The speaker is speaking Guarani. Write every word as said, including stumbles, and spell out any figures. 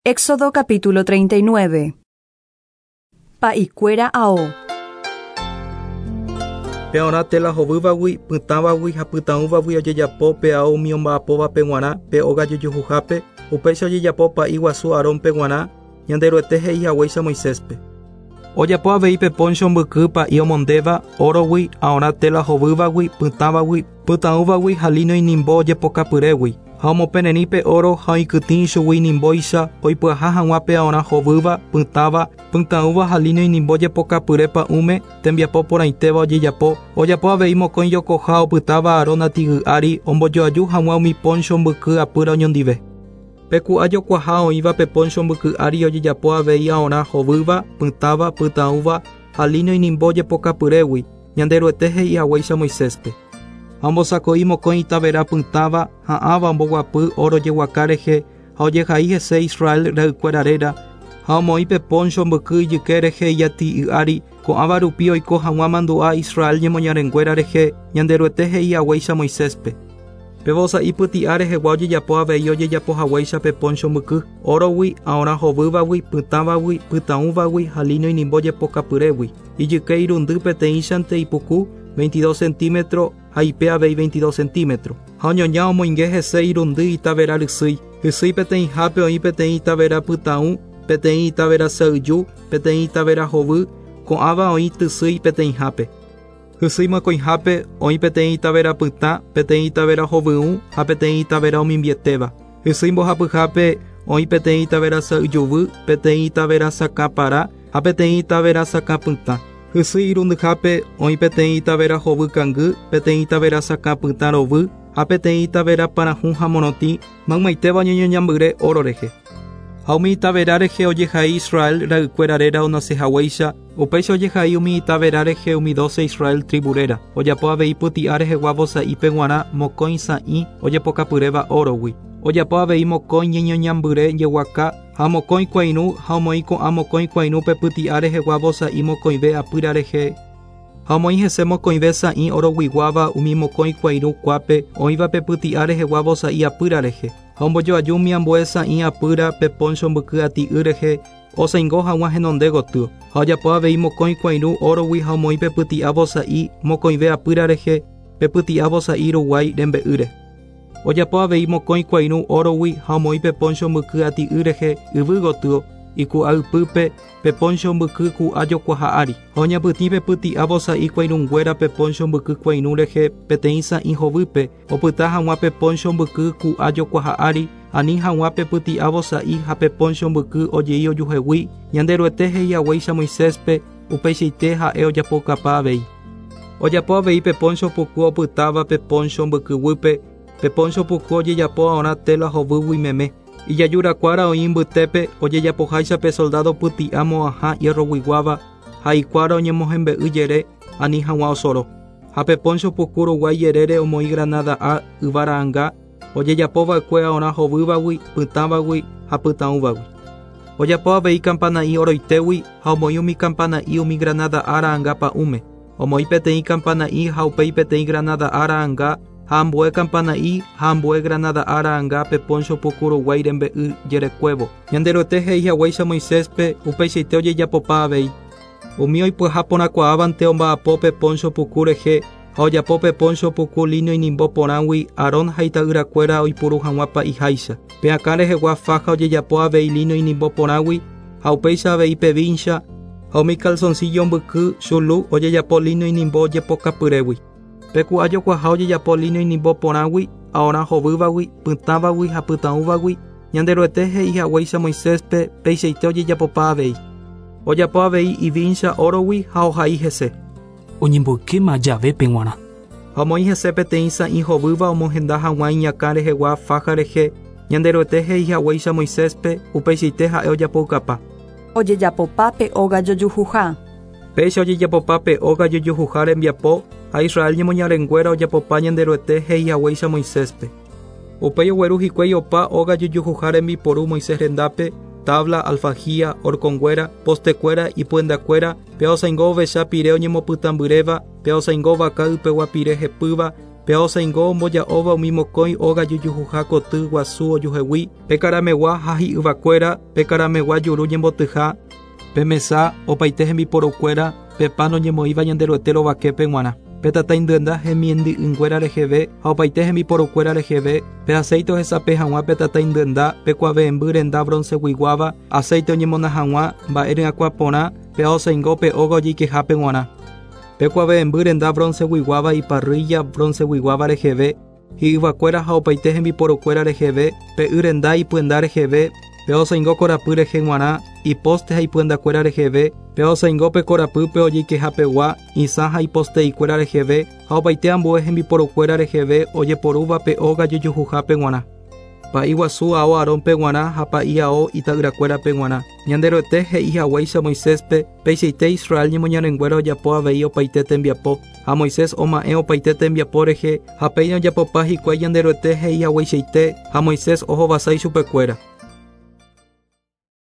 Éxodo capítulo treinta y nueve. Pa'ikuéra ao. Pe tela hovývagui, pytãvagui ha pytãũvagui ojejapo pe ao umi omba'apóvape g̃uarã pe óga jojohuhápe, upéicha ojejapo pa'i guasu Aarónpe g̃uarã, Ñanderuete he'i haguéicha Moiséspe. Ojapo avei pe poncho mbyky pa'i omondéva órogui, aorã tela hovývagui, pytãvagui, pytãũvagui ha lino inimbo ojepokapyrégui. Ha omopenerĩ pe oro ha oikytĩ ichugui inimbóicha oipyaha hag̃ua pe aorã hovýva, pytãva, pytãũva ha lino inimbo jepokapyre pa'ũme tembiapo porãitéva ojejapo. Ojapo avei mokõi jokoha opytáva Aarón ati'y ári ombojoaju hag̃ua umi poncho mbyky apýra oñondive. Pe ku'a jokuaha oĩva pe poncho mbyky ári ojejapo avei aorã hovýva, pytãva, pytãũva ha lino inimbo jepokapyrégui, Ñanderuete he'i haguéicha Moiséspe. Ha ombosako'i mokõi itavera pytãva ha ãva omboguapy oro jeguaka rehe ha ojehai hese Israel ra'ykuéra réra ha omoĩ pe poncho mbyky ijyke rehe ijati'y ári ko'ãva rupi oiko hag̃ua mandu'a Israel ñemoñarenguéra rehe Ñanderuete he'i haguéicha Moiséspe. Pe vosa'i pyti'a rehegua ojejapo avei ojejapo haguéicha pe poncho mbyky órogui, aorã hovývagui, pytãvagui, pytãũvagui ha lino inimbo jepokapyrégui. Ijyke irundy peteĩchante ipuku veintidós centímetros ha ipe avei veintidós centímetros. Ha oñoña omoinge hese irundy itavera rysýi. Hysýi peteĩhápe oĩ peteĩ itavera pytãũ, peteĩ itavera sa'yju, peteĩ itavera hovy, ko'ãva oĩ tysýi peteĩhápe. Hysýi mokõihápe oĩ peteĩ itavera pytã, peteĩ itavera hovyũ ha peteĩ itavera omimbietéva. Hysýi mbohapyhápe oĩ peteĩ itavera sa'yjuvy, peteĩ itavera sakãpara ha peteĩ itavera sakãpytã. Hysýi irundyhápe oĩ peteĩ itavera hovy kangy, peteĩ itavera sakãpytã rovy ha peteĩ itavera parahũ ha morotĩ maymaitéva oñeñoñambyre oro rehe. Ha umi itavera rehe ojehai Israel ra'ykuéra réra onasehaguéicha, upéicha ojehai umi itavera rehe umi doce Israel tribu réra. Ojapo avei pyti'a rehegua vosa'ípe g̃uarã mokõi sã'i ojepokapyréva órogui. Ojapo avei mokõi ñeñoñambyre jeguaka ha mokõi kuairũ ha omoĩ ko'ã mokõi kuairũ pe pyti'a rehegua vosa'i mokõive apýra rehe. Ha omoĩ hese mokõive sã'i oroguiguáva umi mokõi kuairũ kuápe oĩva pe pyti'a rehegua vosa'i apýra rehe. Ha ombojoaju umi ambue sã'i apýra pe poncho mbyky ati'y rehe osãingo hag̃ua henonde gotyo. Ha ojapo avei mokõi kuairũ órogui ha omoĩ pe pyti'a vosa'i mokõive apýra rehe pe pyti'a vosa'i ruguái rembe'ýre. Ojapo avei mokõi kuairũ órogui ha omoĩ pe poncho mbyky ati'y rehe yvy gotyo iku'a ypýpe pe poncho mbyky ku'a jokuaha ári. Ha oñapytĩ pe pyti'a vosa'i kuairũnguéra pe poncho mbyky kuairũ rehe peteĩ sã'i hovýpe opyta hag̃ua pe poncho mbyky ku'a jokuaha ári ani hag̃ua pe pyti'a vosa'i ha pe poncho mbyky ojei ojuhegui Ñanderuete he'i haguéicha Moiséspe upeichaite ha'e ojapokapa avei. Ojapo avei pe poncho puku opytáva pe poncho mbyky guýpe. Pe poncho puku ojejapo aorã tela hovýgui meme. Ijajurakuára oĩ mbytépe ojejapoháicha pe soldado pyti'a mo'ãha hierroguiguáva ha ikuára oñemohembe'y jere ani hag̃ua osoro. Ha pe poncho puku ruguái jerére omoĩ granada'a yvara'ãnga ojejapova'ekue aorã hovývagui, pytãvagui ha pytãũvagui. Ojapo avei kampana'i oroitégui ha omoĩ umi kampana'i umi granada'a ra'ãnga pa'ũme. Omoĩ peteĩ kampana'i ha upéi peteĩ granada'a ra'ãnga ha ambue kampana'i ha ambue granada'a ra'ãnga pe poncho puku ruguái rembe'y jerekuévo. Ñanderuete he'i haguéicha Moiséspe upeichaite ojejapopa avei. Umi oipyaha porãkuaávante omba'apo pe poncho puku rehe ha ojapo pe poncho puku lino inimbo porãgui Aarón ha ita'yrakuéra oipuru hag̃ua pa'iháicha. Pe akã rehegua faja ojejapo avei lino inimbo porãgui ha upéicha avei pe vincha ha umi calzoncillo mbyky chulu ojejapo lino inimbo ojepokapyrégui. Pe ku'a jokuaha ojejapo lino inimbo porãgui, aorã hovývagui, pytãvagui ha pytãũvagui, Ñanderuete he'i haguéicha Moiséspe peichaite ojejapopa avei. Ojapo avei ivincha órogui ha ohai hese. Oñemboykéma javépe g̃uarã. Ha omoĩ hese peteĩ sã'i hovýva omohenda hag̃ua iñakã rehegua faja rehe, Ñanderuete he'i haguéicha Moiséspe upeichaite ha'e ojapoukapa. Ojejapopa pe óga jojuhuha. Péicha ojejapopa pe óga jojuhuha rembiapo ha Israel ñemoñarenguéra ojapopa Ñanderuete he'i haguéicha Moiséspe. Upéi ogueru hikuái opa óga jojuhuha rembiporu Moisés rendápe, tabla, alfajía, horconguéra, postekuéra, ipyendakuéra, pe osãingo ovecha pire oñemopytãmbyréva, pe osãingo vaka ypegua pire hepýva, Pe aosaingo omboja'óva umi mokõi óga jojuhuha koty guasu ojuhegui, pe karamegua ha hi'yvakuéra, pe karamegua juru ñembotyha, pe mesa opaite hembiporukuéra, pe pan oñemoĩva Ñanderuete rovaképe g̃uarã. Pe tataindyenda hemiendy'ỹnguéra reheve ha opaite hembiporukuéra reheve, pe aceite ohesape hag̃ua pe tataindyenda, pe kuave'ẽmby renda bronceguiguáva, aceite oñemona hag̃ua mba'e ryakuã porã, pe aosaingo pe óga ojeikehápe g̃uarã. Pe kuave'ẽmby renda bronceguiguáva iparrilla bronceguiguáva reheve, hi'yvakuéra ha opaite hembiporukuéra reheve, pe y renda ipyenda reheve, pe aosaingo korapy rehe g̃uarã, iposte ha ipyendakuéra reheve, pe aosaingo pe korapýpe ojeikehapegua, isã ha iposte'ikuéra reheve, ha opaite ambue hembiporukuéra reheve ojeporúva pe óga jojuhuhápe g̃uarã. Pa'i guasu ao Aarónpe g̃uarã ha pa'i ao ita'yrakuérape g̃uarã. Ñanderuete he'i haguéicha Moiséspe, peichaite Israel ñemoñarenguéra ojapo avei opaite tembiapo, ha Moisés oma'ẽ opaite tembiapo rehe, ha péina ojapopa hikuái Ñanderuete he'i hagueichaite, ha Moisés ohovasa ichupekuéra.